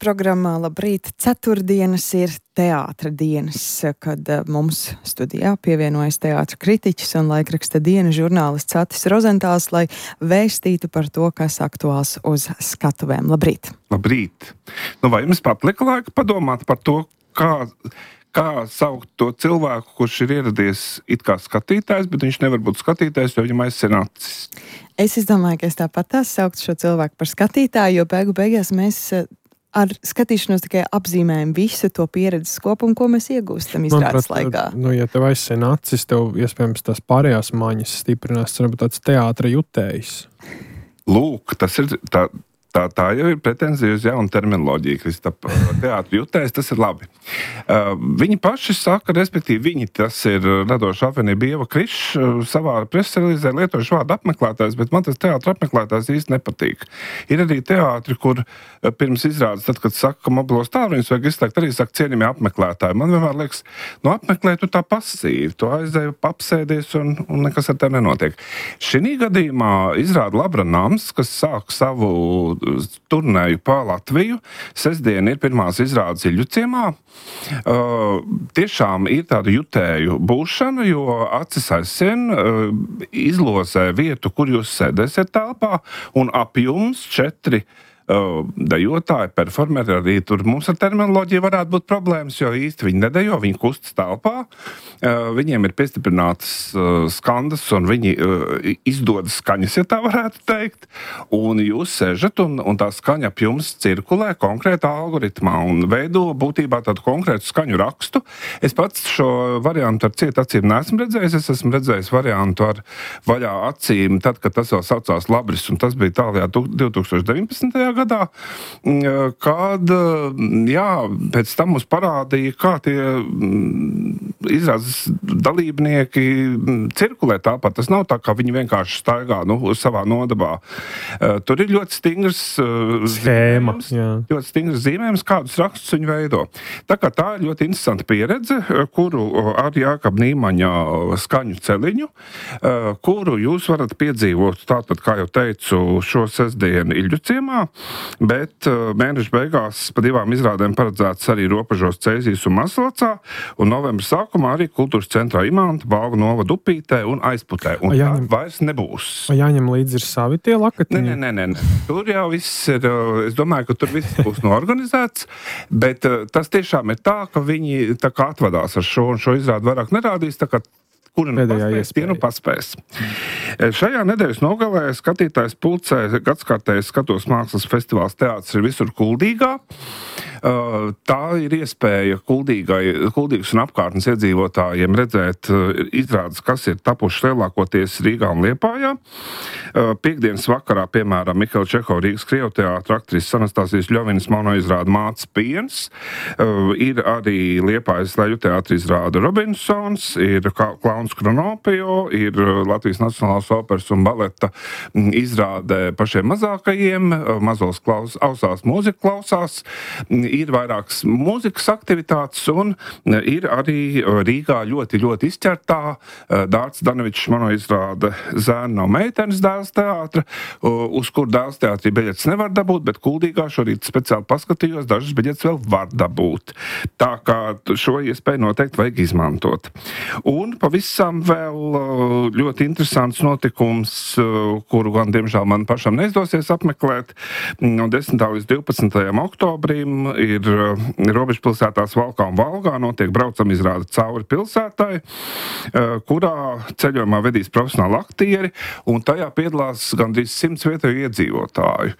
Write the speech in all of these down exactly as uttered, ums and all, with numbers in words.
Programmā Labrīt ceturtdienas ir teātra dienas, kad mums studijā pievienojas teātra kritiķis un laikraksta Diena žurnālists Atis Rozentāls, lai vēstītu par to, kas aktuāls uz skatuvēm. Labrīt! Labrīt! Nu, vai jums patlika laika padomāt par to, kā, kā saukt to cilvēku, kurš ir ieradies it kā skatītājs, bet viņš nevar būt skatītājs, jo viņam aizsien acis? Es izdomāju, ka es tāpat tās sauktu šo cilvēku par skatītāju, jo beigu beigās mēs ar skatīšanos tikai apzīmējam visu to pieredzes kopumu, ko mēs iegūstam izrādes laikā. Nu, ja tev aizsien acis, tev iespējams tās pārējās maņas stiprinās, tas varbūt tāds teātra jutējs. Lūk, tas ir tā, tā, tā jau ir pretenzija uz jaunu terminoloģiju, Kristap. Teātra jutējs, tas ir labi. Uh, viņi paši saka, respektīvi viņi, tas ir radoša apvienība Ieva Krišs, savā presrelīzē lietojuši vārdu apmeklētājs, bet man tas teātra apmeklētājs īsti nepatīk. Ir arī teātri, kur pirms izrādes, tad, kad saka, ka mobilos tālruņus vajag izslēgt, arī saka cienījamie apmeklētāji. Man vienmēr liekas, nu apmeklē tu tā pasīvi, tu aizēji, apsēdies un, un nekas ar tev nenotiek. Šinī gadījumā izrāda Labra Nams, kas sāk savu turnēju pa Latviju. Sestdien ir pirmās izrādes Iļļuciemā. Uh, tiešām ir tāda jutēju būšana, jo acis aizsien uh, izlozē vietu, kur jūs sēdēsiet telpā, un ap jums četri Uh, dejotāji, performeri, arī tur mums ar terminoloģiju varētu būt problēmas, jo īsti viņi nedejo, viņi kustas telpā, uh, viņiem ir piestiprinātas uh, skandas un viņi uh, izdodas skaņas, ja tā varētu teikt, un jūs sežat un, un tā skaņa ap jums cirkulē konkrētā algoritmā un veido būtībā tādu konkrētu skaņu rakstu. Es pats šo variantu ar cietu acīm neesmu redzējis, es esmu redzējis variantu ar vaļā acīm, tad, kad tas vēl saucās Labris, un tas bija tālajā divi tūkstoši deviņpadsmitajā gadā, kad, jā, pēc tam mums parādīja, kā tie izrādes dalībnieki cirkulē tāpat. Tas nav tā, kā viņi vienkārši staigā, nu, savā nodabā. Tur ir ļoti stingrs schēma, ļoti stingrs zīmējums, kādus rakstus viņi veido. Tā kā tā ir ļoti interesanta pieredze, kuru ar Jākaba Nīmaņa skaņu celiņu, kuru jūs varat piedzīvot, tātad, kā jau teicu, šo sestdienu Iļļuciemā, bet mēneša beigās pa divām izrādēm paredzēts arī Ropažos, Ceizīs un Mazlacā, un novembra sākumā arī Kultūras centrā Imanta, Balvu novada Upītē un Aizputē. Un jāņem, tā vairs nebūs. Jāņem līdzi ir savi tie lakatiņi? Nē, nē, nē, nē. Tur jau viss ir, es domāju, ka tur viss būs noorganizēts, bet tas tiešām ir tā, ka viņi tā kā atvadās ar šo, un šo izrādu vairāk nerādīs, tā kā kuri nu paspēs, tie nu paspēs. Šajā nedēļas nogalē skatītājs pulcē gadskārtējais Skatos mākslas festivāls Teātris ir visur Kuldīgā. Tā ir iespēja Kuldīgai, Kuldīgas un apkārtnes iedzīvotājiem redzēt izrādes, kas ir tapušas lielākoties Rīgā un Liepājā. Piektdienas vakarā, piemēram, Mihaila Čehova Rīgas Krievu teātra aktrises Anastasijas Ļovinas monoizrāda Mātes piens. Ir arī Liepājas Leļu teātra izrāda Robinsons, ir Klauns Kronopio, ir Latvijas Nacionālās operas un baleta izrāde pašiem mazākajiem, mazos klaus, ausās mūzika klausās, ir vairākas mūzikas aktivitātes un ir arī Rīgā ļoti, ļoti izķertā Dārts Danovičs monoizrāde Zēna no meitenes dēls teātra, uz kur dēls teātrī biļetes nevar dabūt, bet Kuldīgā šorīt speciāli paskatījos, dažas biļetes vēl var dabūt. Tā kā šo iespēju noteikti vajag izmantot. Un pavisam vēl ļoti interesants notikums, kuru gan, diemžēl, man pašam neizdosies apmeklēt. No desmitā līdz divpadsmitajam oktobrim ir robežpilsētās Valkā un Valgā notiek braucam izrāde Cauri pilsētai, kurā ceļojumā vedīs profesionāli aktieri, un tajā piedalās gandrīz simts vietēju iedzīvotāju.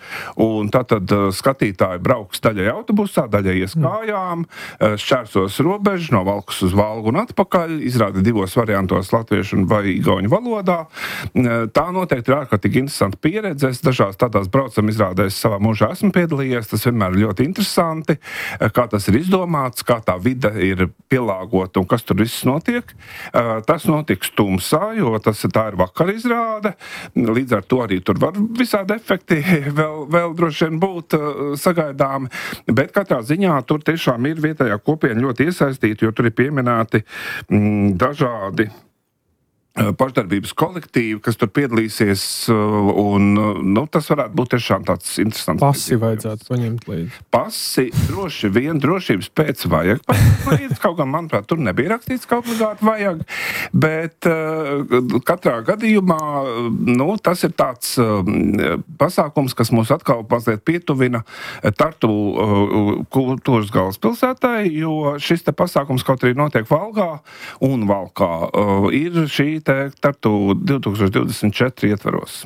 Un tātad skatītāji brauks daļai autobusā, daļai ies kājām, šķērsos robežu no Valkas uz Valgu un atpakaļ, izrāda divos variantos latviešu un vai igauņu valodā. Tā noteikti ir ārkārtīgi interesanta pieredze. Es dažās tādās braucam izrādēs savā mūžā esmu piedalījies, tas vienmēr ir ļoti interesanti. Kā tas ir izdomāts, kā tā vide ir pielāgota un kas tur viss notiek. Tas notiks tumsā, jo tas tā ir vakar izrāde. Līdz ar to arī tur var visādi efekti vēl, vēl droši vien būt sagaidāmi. Bet katrā ziņā tur tiešām ir vietējā kopiena ļoti iesaistīta, jo tur ir pieminēti mm, dažādi pašdarbības kolektīvi, kas tur piedalīsies, un nu, tas varētu būt tiešām tāds interesants. Pasi vajadzētu paņemt līdzi. Pasi droši vien drošības pēc vajag paņemt līdzi, kaut gan, manuprāt, tur nebija rakstīts, ka obligāti vajag, bet uh, katrā gadījumā, nu, tas ir tāds uh, pasākums, kas mūs atkal mazliet pietuvina Tartu uh, kultūras galvaspilsētai, jo šis te pasākums kaut arī notiek Valgā un Valkā uh, ir šī te Tartu divtūkstoš divdesmit četri ietvaros.